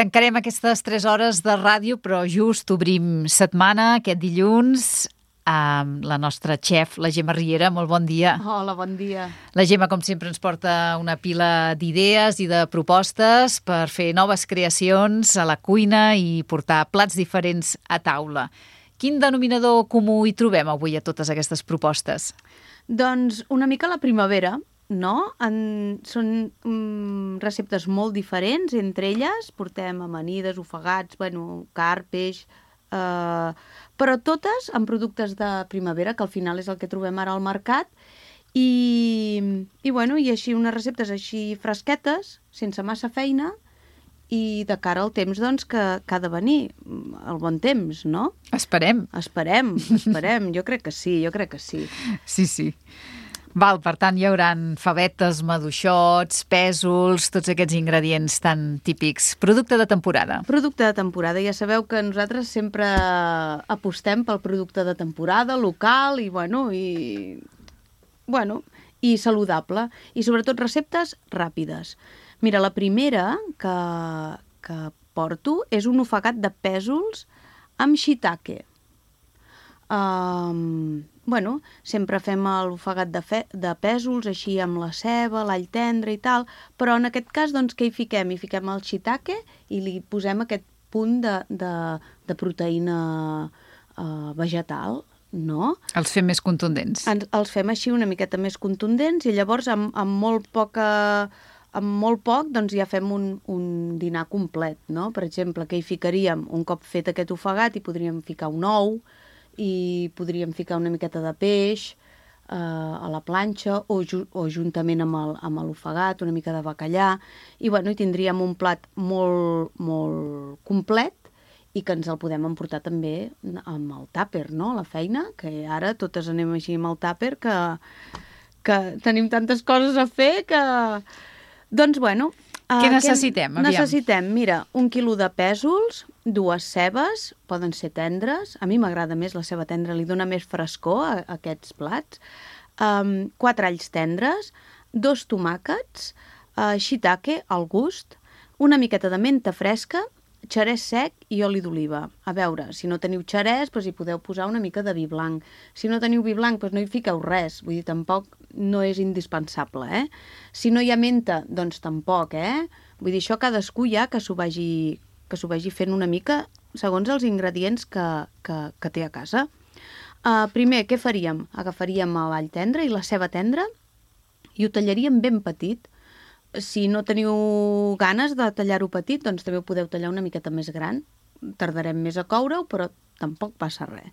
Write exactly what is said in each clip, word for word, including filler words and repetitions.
Tancarem aquestes tres hores de ràdio, però just obrim setmana, aquest dilluns, amb la nostra xef, la Gemma Riera. Molt bon dia. Hola, bon dia. La Gemma, com sempre, ens porta una pila d'idees i de propostes per fer noves creacions a la cuina i portar plats diferents a taula. Quin denominador comú hi trobem avui a totes aquestes propostes? Doncs una mica la primavera, no? En, són um, receptes molt diferents, entre elles portem amanides, ofegats, bueno, carn, peix, eh, però totes amb productes de primavera, que al final és el que trobem ara al mercat, i, i, bueno, i així unes receptes així fresquetes, sense massa feina, i de cara al temps doncs, que, que ha de venir, el bon temps, no? Esperem. Esperem, esperem, jo crec que sí, jo crec que sí. Sí, sí. Val, per tant, hi haurà favetes, maduixots, pèsols, tots aquests ingredients tan típics. Producte de temporada. Producte de temporada. Ja sabeu que nosaltres sempre apostem pel producte de temporada, local i, bueno, i, bueno, i saludable. I sobretot receptes ràpides. Mira, la primera que, que porto és un ofegat de pèsols amb shiitake. Um, bueno, sempre fem l'ofegat de, fe, de pèsols, així amb la ceba, l'all tendre i tal, però en aquest cas, doncs, què hi fiquem? Hi fiquem el shiitake i li posem aquest punt de, de, de proteïna uh, vegetal, no? Els fem més contundents. En, els fem així una miqueta més contundents i llavors amb, amb molt poca... amb molt poc doncs ja fem un, un dinar complet, no? Per exemple, que hi ficaríem, un cop fet aquest ofegat, hi podríem ficar un ou, i podríem ficar una miqueta de peix eh, a la planxa o, ju o juntament amb el, amb l'ofegat, una mica de bacallà, i, bueno, i tindríem un plat molt, molt complet i que ens el podem emportar també amb el tàper, no?, a la feina, que ara totes anem així amb el tàper, que, que tenim tantes coses a fer que... Doncs, bueno... Què necessitem? Què necessitem? Mira, un quilo de pèsols, dues cebes, poden ser tendres, a mi m'agrada més la ceba tendra, li dona més frescor a, a aquests plats, um, quatre alls tendres, dos tomàquets, uh, shiitake al gust, una miqueta de menta fresca, xerès sec i oli d'oliva. A veure, si no teniu xerès, doncs hi podeu posar una mica de vi blanc. Si no teniu vi blanc, doncs no hi fiqueu res. Vull dir, tampoc no és indispensable, eh? Si no hi ha menta, doncs tampoc, eh? Vull dir, això cadascú ja que s'ho vagi, que s'ho vagi fent una mica segons els ingredients que, que, que té a casa. Uh, primer, què faríem? Agafaríem l'all tendre i la ceba tendra i ho tallaríem ben petit. Si no teniu ganes de tallar-ho petit, doncs també ho podeu tallar una miqueta més gran. Tardarem més a coure-ho, però tampoc passa res.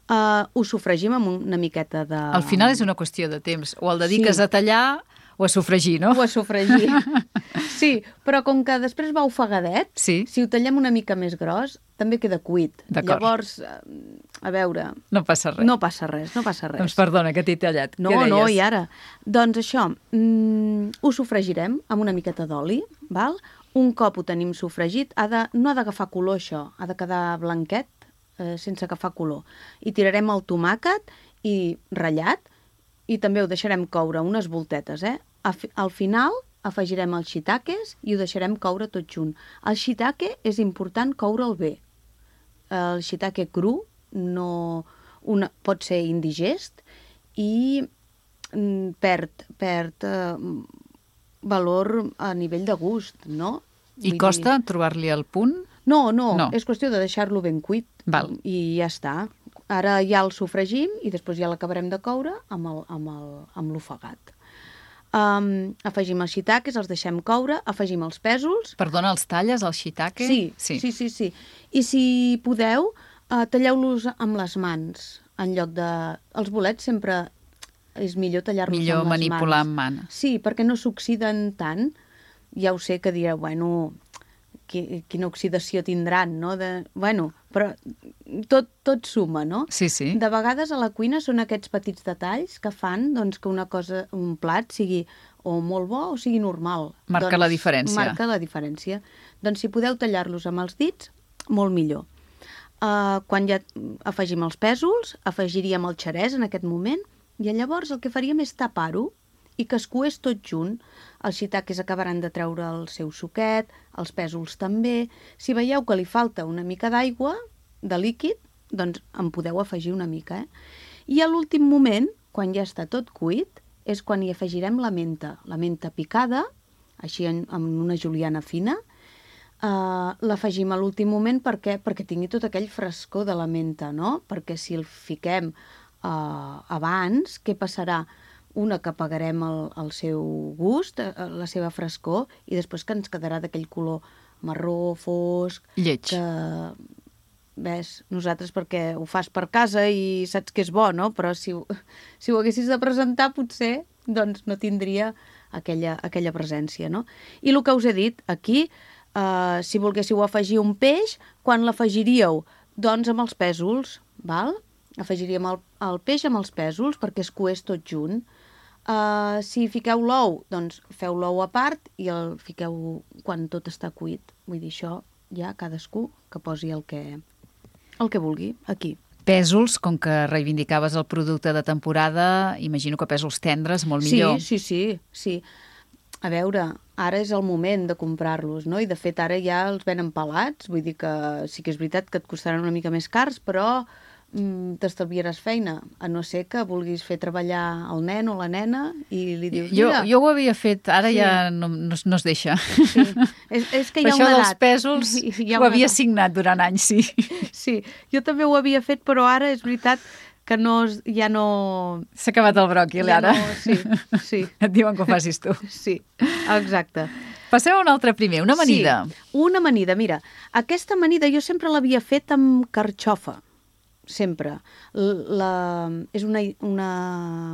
Uh, ho sofregim amb una miqueta de... Al final és una qüestió de temps. O el dediques sí. a tallar o a sofregir, no? O a sofregir. Sí, però com que després va ofegadet, sí. si ho tallem una mica més gros, també queda cuit. Llavors, a veure... No passa res. No passa res, no passa res. Doncs perdona, que t'he tallat. No, no, i ara? Doncs això, mm, ho sofregirem amb una miqueta d'oli, val? Un cop ho tenim sofregit, ha de, no ha d'agafar color això, ha de quedar blanquet, eh, sense agafar color. I tirarem el tomàquet i ratllat, i també ho deixarem coure unes voltetes, eh? Al final afegirem els shiitakes i ho deixarem coure tot junt. El shiitake és important coure'l bé. El shiitake cru no, una, pot ser indigest i mm, perd, perd eh, valor a nivell de gust, no? I Vull costa dir... trobar-li el punt? No, no, no, és qüestió de deixar-lo ben cuit. Val. I ja està. Ara ja el sofregim i després ja l'acabarem de coure amb el, amb el, amb l'ofegat. Um, afegim els shiitakes, els deixem coure, afegim els pèsols. Perdona, els talles, el shiitake? Sí, sí, sí, sí, sí. I si podeu, uh, talleu-los amb les mans, en lloc de... Els bolets sempre és millor tallar-los amb les mans. Millor manipular amb mans. Sí, perquè no s'oxiden tant. Ja ho sé que direu, bueno, quina oxidació tindran, no? De... Bueno, però tot, tot suma, no? Sí, sí. De vegades a la cuina són aquests petits detalls que fan doncs, que una cosa, un plat sigui o molt bo o sigui normal. Marca doncs, la diferència. Marca la diferència. Doncs si podeu tallar-los amb els dits, molt millor. Uh, quan ja afegim els pèsols, afegiríem el xerès en aquest moment i llavors el que faríem és tapar-ho i que es coés tot junt. Els shiitakes acabaran de treure el seu suquet, els pèsols també. Si veieu que li falta una mica d'aigua, de líquid, doncs en podeu afegir una mica. Eh? I a l'últim moment, quan ja està tot cuit, és quan hi afegirem la menta. La menta picada, així en, en una juliana fina. Uh, l'afegim a l'últim moment perquè, perquè tingui tot aquell frescor de la menta, no? Perquè si el fiquem uh, abans, què passarà? Una, que apagarem el, el seu gust, la seva frescor, i després que ens quedarà d'aquell color marró, fosc... Lleig. Que, ves, nosaltres perquè ho fas per casa i saps que és bo, no? Però si, si ho haguessis de presentar, potser doncs, no tindria aquella, aquella presència, no? I el que us he dit, aquí, uh, si volguéssiu afegir un peix, quan l'afegiríeu? Doncs amb els pèsols, val? Afegiríem el, el peix amb els pèsols perquè es coés tot junt. Uh, si fiqueu l'ou, doncs feu l'ou a part i el fiqueu quan tot està cuit. Vull dir, això ja cadascú que posi el que, el que vulgui aquí. Pèsols, com que reivindicaves el producte de temporada, imagino que pèsols tendres, molt millor. Sí, sí, sí, sí. A veure, ara és el moment de comprar-los, no? I de fet ara ja els venen pelats, vull dir que sí que és veritat que et costaran una mica més cars, però mm, t'estalviaràs feina, a no ser que vulguis fer treballar el nen o la nena i li dius, jo, mira... jo ho havia fet, ara Sí. ja no, no, es- no es deixa. Sí. És, és que hi ha Això una dels edat. pèsols Hi ha ho una havia edat. signat durant anys, sí. Sí, jo també ho havia fet, però ara és veritat que no, es- ja no... S'ha acabat el bròquil, ja ara. No, sí, sí, Et diuen que ho facis tu. sí, exacte. Passem a un altre primer, una amanida. Sí, una amanida. Mira, aquesta amanida jo sempre l'havia fet amb carxofa, sempre. L- La, és una, una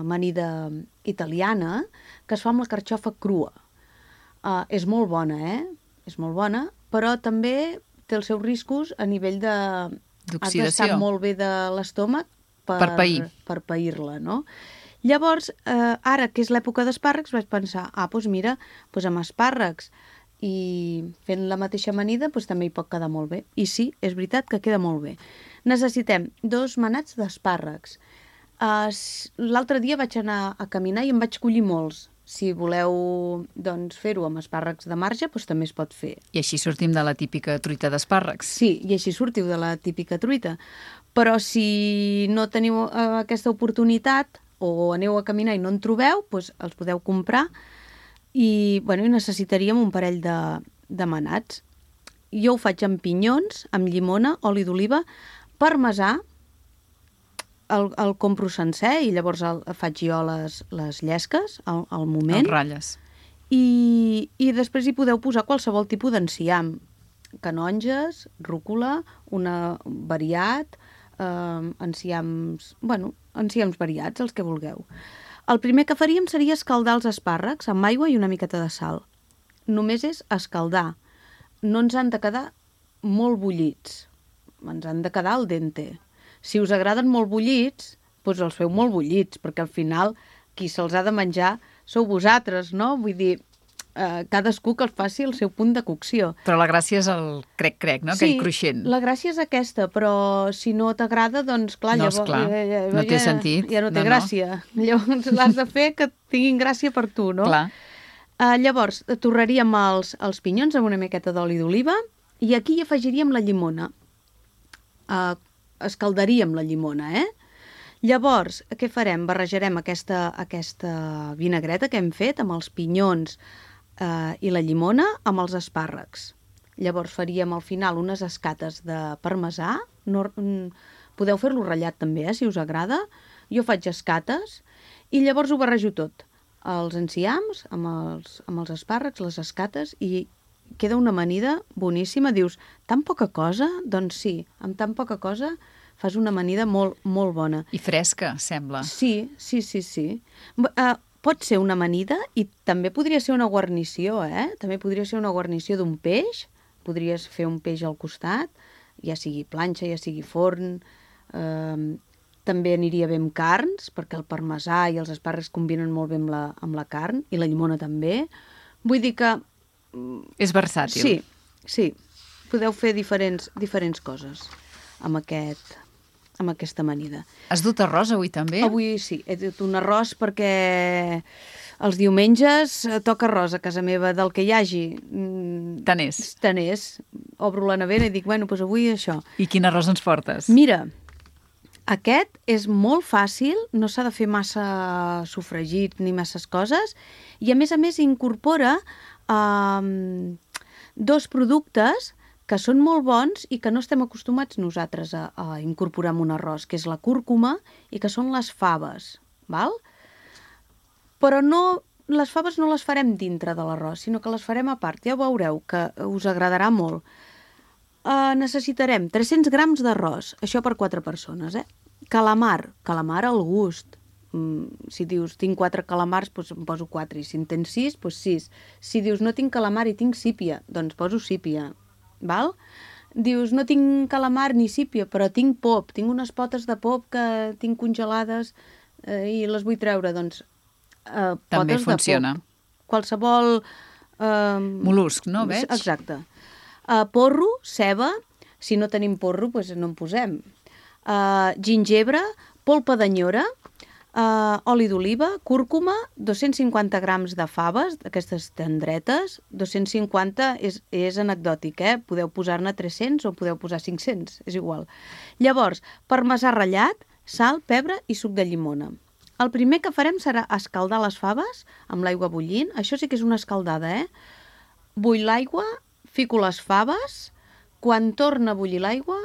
amanida italiana que es fa amb la carxofa crua. Uh, és molt bona, eh? És molt bona, però també té els seus riscos a nivell de... Has d'estar D'oxidació. molt bé de l'estómac per, Per pair. per pair-la, no? Llavors, eh, ara que és l'època d'espàrrecs, vaig pensar, ah, doncs mira, doncs amb espàrrecs i fent la mateixa amanida doncs també hi pot quedar molt bé. I sí, és veritat que queda molt bé. Necessitem dos manats d'espàrrecs. Uh, L'altre dia vaig anar a caminar i em vaig collir molts. Si voleu doncs, fer-ho amb espàrrecs de marge, doncs també es pot fer. I així sortim de la típica truita d'espàrrecs. Sí, i així sortiu de la típica truita. Però si no teniu eh, aquesta oportunitat o aneu a caminar i no en trobeu, doncs els podeu comprar i, bueno, i necessitaríem un parell de, de manats. Jo ho faig amb pinyons, amb llimona, oli d'oliva, parmesà, el, el compro sencer i llavors el, faig jo les, les llesques al, al moment. Els ratlles. I, i després hi podeu posar qualsevol tipus d'enciam. Canonges, rúcula, una variat, eh, enciams, bueno, enciams variats, els que vulgueu. El primer que faríem seria escaldar els espàrrecs amb aigua i una miqueta de sal. Només és escaldar. No ens han de quedar molt bullits. Ens han de quedar al dente. Si us agraden molt bullits, doncs els feu molt bullits, perquè al final qui se'ls ha de menjar sou vosaltres, no? Vull dir, eh, cadascú que els faci el seu punt de cocció. Però la gràcia és el crec-crec, no? Aquell cruixent. La gràcia és aquesta, però si no t'agrada, doncs clar, No, llavors, esclar, ja, ja, no té ja, sentit. Ja no té No, no. gràcia. Llavors l'has de fer que tinguin gràcia per tu, no? Clar. Uh, llavors, torraríem els, els pinyons amb una miqueta d'oli d'oliva i aquí hi afegiríem la llimona. Uh, escaldaríem la llimona, eh? Llavors, què farem? Barrejarem aquesta, aquesta vinagreta que hem fet amb els pinyons uh, i la llimona amb els espàrrecs. Llavors faríem al final unes escates de parmesà. No, mm, podeu fer-lo ratllat també, eh, si us agrada. Jo faig escates i llavors ho barrejo tot. Els enciams amb els, amb els espàrrecs, les escates, i queda una amanida boníssima. Dius, tan poca cosa? Doncs sí, amb tan poca cosa fas una amanida molt, molt bona. I fresca, sembla. Sí, sí, sí, sí. Uh, pot ser una amanida i també podria ser una guarnició, eh? També podria ser una guarnició d'un peix. Podries fer un peix al costat, ja sigui planxa, ja sigui forn. Uh, també aniria bé amb carns, perquè el parmesà i els espàrrecs combinen molt bé amb la, amb la carn, i la llimona també. Vull dir que... És versàtil. Sí, sí. Podeu fer diferents, diferents coses amb, aquest, amb aquesta amanida. Has dut arròs avui també? Avui sí, he dut un arròs perquè els diumenges eh, toca arròs a casa meva, del que hi hagi. Tant és. Tant és. Obro la nevera i dic, bueno, doncs avui això. I quin arròs ens portes? Mira, aquest és molt fàcil, no s'ha de fer massa sofregit ni masses coses, i a més a més incorpora eh, dos productes que són molt bons i que no estem acostumats nosaltres a, a incorporar en un arròs, que és la cúrcuma i que són les faves, val? Però no, les faves no les farem dintre de l'arròs, sinó que les farem a part. Ja veureu que us agradarà molt. Uh, necessitarem tres-cents grams d'arròs, això per quatre persones, eh? Calamar, calamar al gust. Mm, si dius, tinc quatre calamars, doncs em poso quatre, i si en tens sis, doncs sis. Si dius, no tinc calamar i tinc sípia, doncs poso sípia. Val? Dius, no tinc calamar ni sípia, però tinc pop, tinc unes potes de pop que tinc congelades eh, i les vull treure, doncs eh, també potes funciona. De pop. Qualsevol... Eh, Mol·lusc, no? Veig? Exacte. Eh, porro, ceba, si no tenim porro, doncs no en posem. Eh, gingebre, polpa d'anyora, Uh, oli d'oliva, cúrcuma, dos-cents cinquanta grams de faves, aquestes tendretes, dos-cents cinquanta és, és anecdòtic, eh? Podeu posar-ne tres-cents o podeu posar cinc-cents, és igual. Llavors, parmesà ratllat, sal, pebre i suc de llimona. El primer que farem serà escaldar les faves amb l'aigua bullint, això sí que és una escaldada, eh? Bull l'aigua, fico les faves, quan torna a bullir l'aigua,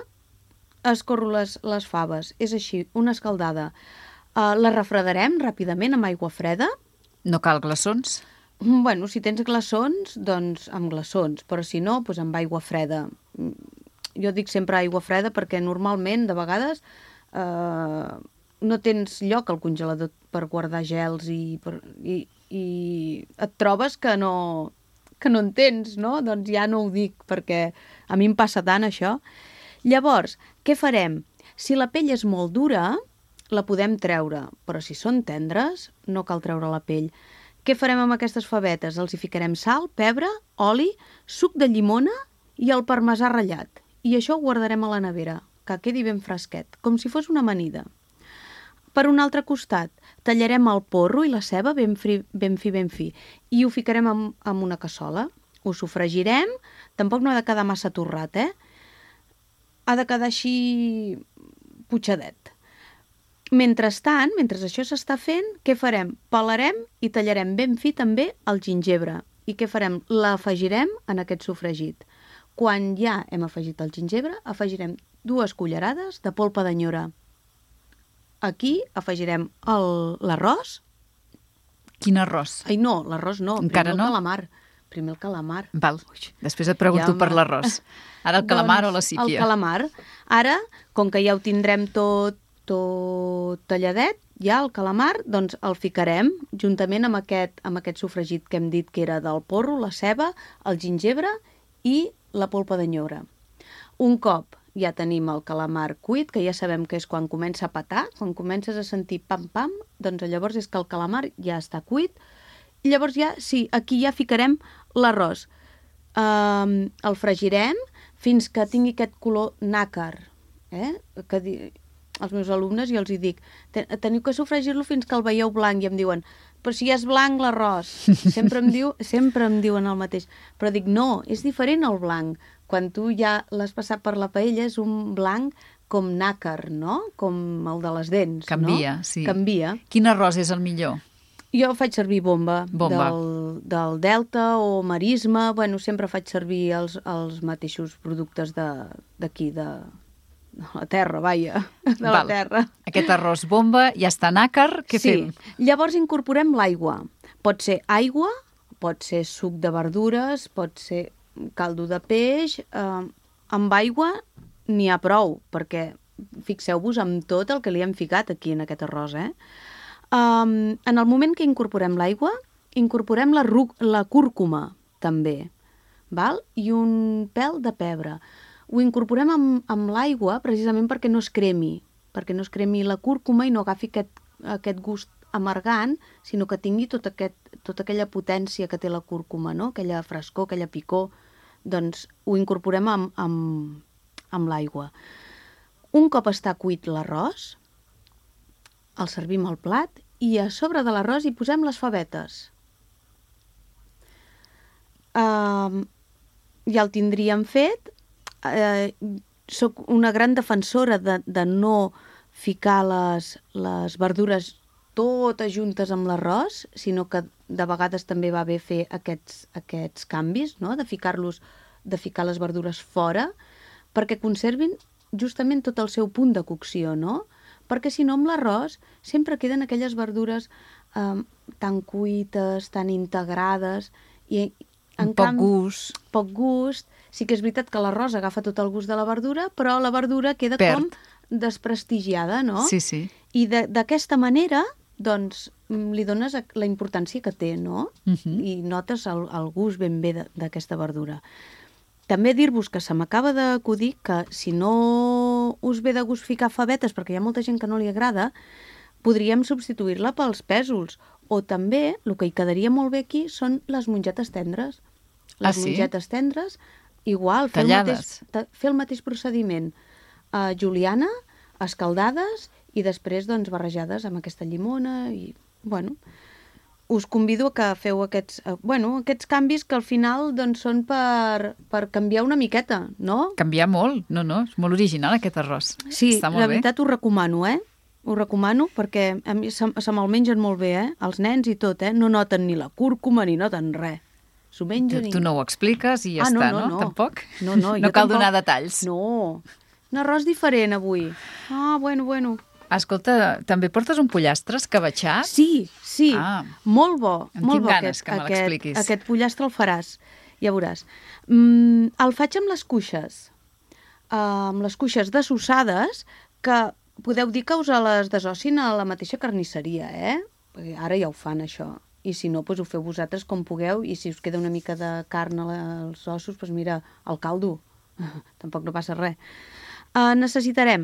escorro les, les faves, és així, una escaldada. Uh, la refredarem ràpidament amb aigua freda. No cal glaçons? Bueno, si tens glaçons, doncs amb glaçons, però si no, doncs amb aigua freda. Jo dic sempre aigua freda perquè normalment, de vegades, eh, no tens lloc al congelador per guardar gels i, per, i, i et trobes que no, que no en tens, no? Doncs ja no ho dic, perquè a mi em passa tant això. Llavors, què farem? Si la pell és molt dura, la podem treure, però si són tendres, no cal treure la pell. Què farem amb aquestes favetes? Els hi ficarem sal, pebre, oli, suc de llimona i el parmesà ratllat. I això ho guardarem a la nevera, que quedi ben fresquet, com si fos una amanida. Per un altre costat, tallarem el porro i la ceba ben fi, ben fi, ben fi, i ho ficarem en, en una cassola. Ho sofregirem, tampoc no ha de quedar massa torrat, eh? Ha de quedar així putxadet. Mentrestant, mentre això s'està fent, què farem? Pelarem i tallarem ben fi també el gingebre. I què farem? L'afegirem en aquest sofregit. Quan ja hem afegit el gingebre, afegirem dues cullerades de polpa d'anyora. Aquí afegirem l'arròs. Quin arròs? Ai, no, l'arròs no. Encara primer no? el calamar. Primer el calamar. Val. Després et pregunto Ja, per l'arròs. Ara el calamar doncs, o la sípia? El calamar. Ara, com que ja ho tindrem tot tot talladet, ja el calamar, doncs el ficarem juntament amb aquest, amb aquest sofregit que hem dit que era del porro, la ceba, el gingebre i la polpa d'anyora. Un cop ja tenim el calamar cuit, que ja sabem que és quan comença a petar, quan comences a sentir pam-pam, doncs llavors és que el calamar ja està cuit. I llavors ja, sí, aquí ja ficarem l'arròs. Um, el fregirem fins que tingui aquest color nàcar, eh? Que di... als meus alumnes i els hi dic, teniu que sofregir-lo fins que el veieu blanc, i em diuen, però si ja és blanc l'arròs. Sempre em diu, sempre em diuen el mateix. Però dic, no, és diferent el blanc. Quan tu ja l'has passat per la paella és un blanc com nàcar, no? Com el de les dents, Canvia, no? sí. Canvia. Quin arròs és el millor? Jo faig servir bomba, Bomba. Del, del Delta o Marisma. Bueno, sempre faig servir els, els mateixos productes d'aquí, de, de la terra, vaja, de la Val. terra. Aquest arròs bomba ja està nàcar, què sí. fem? Llavors incorporem l'aigua. Pot ser aigua, pot ser suc de verdures, pot ser caldo de peix. Eh, amb aigua n'hi ha prou, perquè fixeu-vos amb tot el que li hem ficat aquí en aquest arròs, eh? Um, en el moment que incorporem l'aigua, incorporem la, la cúrcuma, també, val? I un pèl de pebre. Ho incorporem amb, amb l'aigua precisament perquè no es cremi, perquè no es cremi la cúrcuma i no agafi aquest, aquest gust amargant, sinó que tingui tot aquest, tota aquella potència que té la cúrcuma, no? Aquella frescor, aquella picor. Doncs ho incorporem amb, amb, amb l'aigua. Un cop està cuit l'arròs, el servim al plat i a sobre de l'arròs hi posem les favetes. Uh, ja el tindríem fet. Uh, soc una gran defensora de, de no ficar les, les verdures totes juntes amb l'arròs, sinó que de vegades també va bé fer aquests, aquests canvis, no? De ficar-los, de ficar les verdures fora, perquè conservin justament tot el seu punt de cocció, no? Perquè si no, amb l'arròs sempre queden aquelles verdures eh, tan cuites, tan integrades, i en poc canvi, gust. Poc gust. Sí que és veritat que l'arròs agafa tot el gust de la verdura, però la verdura queda Perd. com desprestigiada, no? Sí, sí. I d'aquesta manera, doncs, li dones la importància que té, no? Uh-huh. I notes el, el gust ben bé d'aquesta verdura. També dir-vos que se m'acaba d'acudir que si no us ve de gust ficar favetes, perquè hi ha molta gent que no li agrada, podríem substituir-la pels pèsols. O també, el que hi quedaria molt bé aquí són les mongetes tendres. Les Ah, sí? mongetes tendres, igual, fer el, mateix, fer el mateix procediment. Uh, juliana, escaldades i després doncs, barrejades amb aquesta llimona. I, bueno, us convido a que feu aquests, uh, bueno, aquests canvis que al final doncs, són per, per canviar una miqueta, no? Canviar molt. No, no, és molt original aquest arròs. Sí, Està molt la bé. veritat ho recomano, eh? Ho recomano perquè a mi se, se me'l mengen molt bé, eh? Els nens i tot, eh? No noten ni la cúrcuma ni noten res. S'ho mengen Tu, i... tu no ho expliques i ja Ah, no, està, no, no? no. Tampoc? No, no, no jo cal tampoc. donar detalls. No, un arròs diferent avui. Ah, bueno, bueno. Escolta, també portes un pollastre escabatxat? Sí, sí, Ah. molt bo. En molt tinc bo ganes aquest, que me aquest, l'expliquis. aquest pollastre el faràs, ja veuràs. Mm, el faig amb les cuixes, uh, amb les cuixes dessossades, que podeu dir que us les desossin a la mateixa carnisseria, eh? Perquè ara ja ho fan, això. I si no, doncs ho feu vosaltres com pugueu, i si us queda una mica de carn als ossos, doncs mira, el caldo. Tampoc no passa res. Uh, necessitarem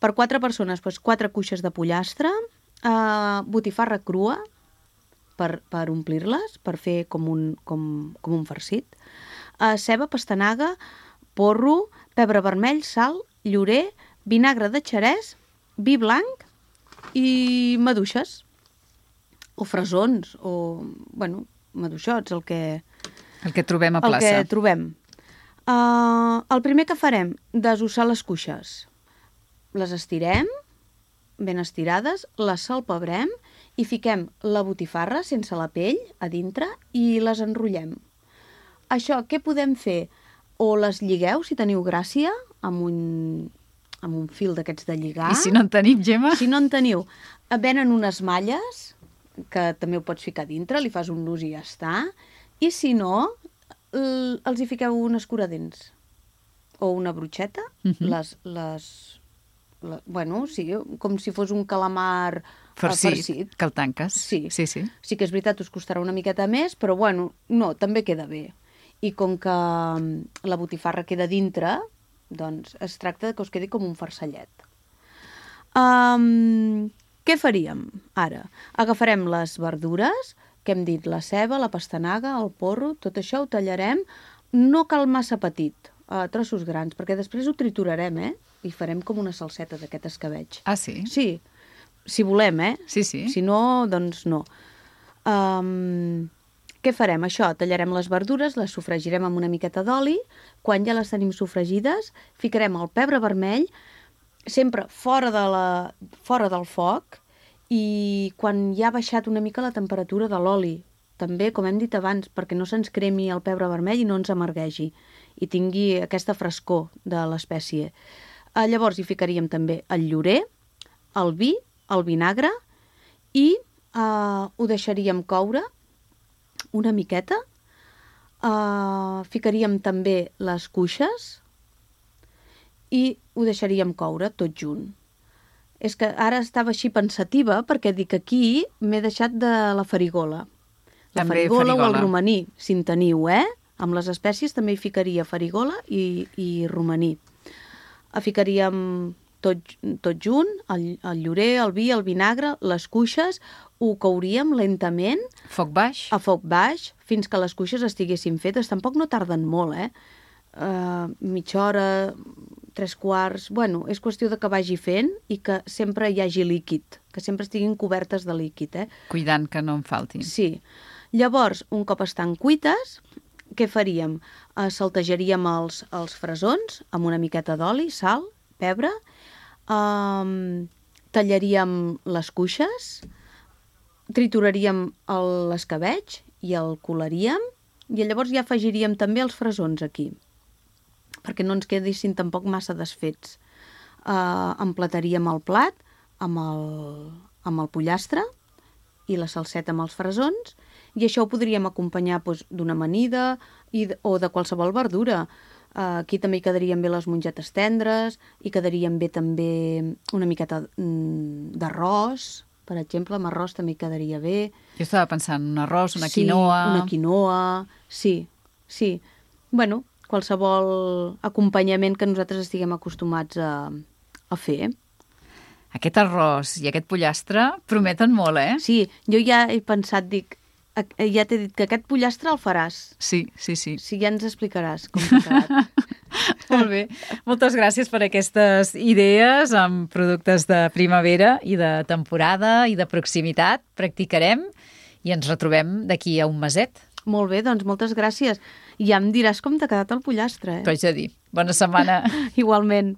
per quatre persones doncs, quatre cuixes de pollastre, uh, botifarra crua per, per omplir-les, per fer com un, com, com un farcit, uh, ceba, pastanaga, porro, pebre vermell, sal, llorer, vinagre de xerès, vi blanc i maduixes, o fresons, o, bueno, maduixots, el que... El que trobem a El plaça. que trobem. Uh, el primer que farem, desossar les cuixes. Les estirem, ben estirades, les salpebrem i fiquem la botifarra sense la pell a dintre i les enrotllem. Això, què podem fer? O les lligueu, si teniu gràcia, amb un, amb un fil d'aquests de lligar. I si no en tenim, Gemma? Si no en teniu, venen unes malles, que també ho pots ficar dintre, li fas un nus i ja està. I si no, els hi fiqueu un escuradents o una brutxeta, uh -huh. les, les, les, bueno, sí, com si fos un calamar farcit, farcit. Que el tanques. Sí. sí, sí. Sí que és veritat, us costarà una miqueta més, però bueno, no, també queda bé. I com que la botifarra queda dintre, doncs es tracta que us quedi com un farcellet. Um, què faríem ara? Agafarem les verdures, que hem dit la ceba, la pastanaga, el porro, tot això ho tallarem, no cal massa petit, a trossos grans, perquè després ho triturarem, eh? I farem com una salseta d'aquest escabeig. Ah, sí? Sí, si volem, eh? Sí, sí. Si no, doncs no. Um, què farem? Això, tallarem les verdures, les sofregirem amb una miqueta d'oli, quan ja les tenim sofregides, ficarem el pebre vermell, sempre fora, de la, fora del foc, i quan ja ha baixat una mica la temperatura de l'oli, també, com hem dit abans, perquè no se'ns cremi el pebre vermell i no ens amarguegi, i tingui aquesta frescor de l'espècie. Uh, llavors hi ficaríem també el llorer, el vi, el vinagre, i uh, ho deixaríem coure una miqueta. Uh, ficaríem també les cuixes i ho deixaríem coure tot junt. És que ara estava així pensativa perquè dic aquí m'he deixat de la farigola. La també farigola, farigola o el romaní, si en teniu, eh? Amb les espècies també hi ficaria farigola i, i romaní. Ficaríem tot, tot junt, el, el llorer, el vi, el vinagre, les cuixes, ho couríem lentament. Foc baix? A foc baix, fins que les cuixes estiguessin fetes. Tampoc no tarden molt, eh? Uh, mitja hora, tres quarts... Bueno, és qüestió de que vagi fent i que sempre hi hagi líquid, que sempre estiguin cobertes de líquid, eh? Cuidant que no en faltin. Sí. Llavors, un cop estan cuites, què faríem? Uh, saltejaríem els, els fresons amb una miqueta d'oli, sal, pebre, um, tallaríem les cuixes, trituraríem l'escabetx i el colaríem i llavors ja afegiríem també els fresons aquí, perquè no ens quedessin tampoc massa desfets. Uh, emplataríem el plat amb el, amb el pollastre i la salseta amb els fresons i això ho podríem acompanyar doncs, d'una amanida i, o de qualsevol verdura. Uh, aquí també hi quedarien bé les mongetes tendres, hi quedarien bé també una miqueta mm, d'arròs, per exemple, amb arròs també hi quedaria bé. Jo estava pensant un arròs, una sí, quinoa... una quinoa, sí, sí. Bueno, qualsevol acompanyament que nosaltres estiguem acostumats a, a fer. Aquest arròs i aquest pollastre prometen molt, eh? Sí, jo ja he pensat, dic, ja t'he dit que aquest pollastre el faràs. Sí, sí, sí. Sí, ja ens explicaràs com t'ha quedat. Molt bé. Moltes gràcies per aquestes idees amb productes de primavera i de temporada i de proximitat. Practicarem i ens retrobem d'aquí a un meset. Molt bé, doncs moltes gràcies. I ja em diràs com t'ha quedat el pollastre, eh? T'ho haig de dir. Bona setmana. Igualment.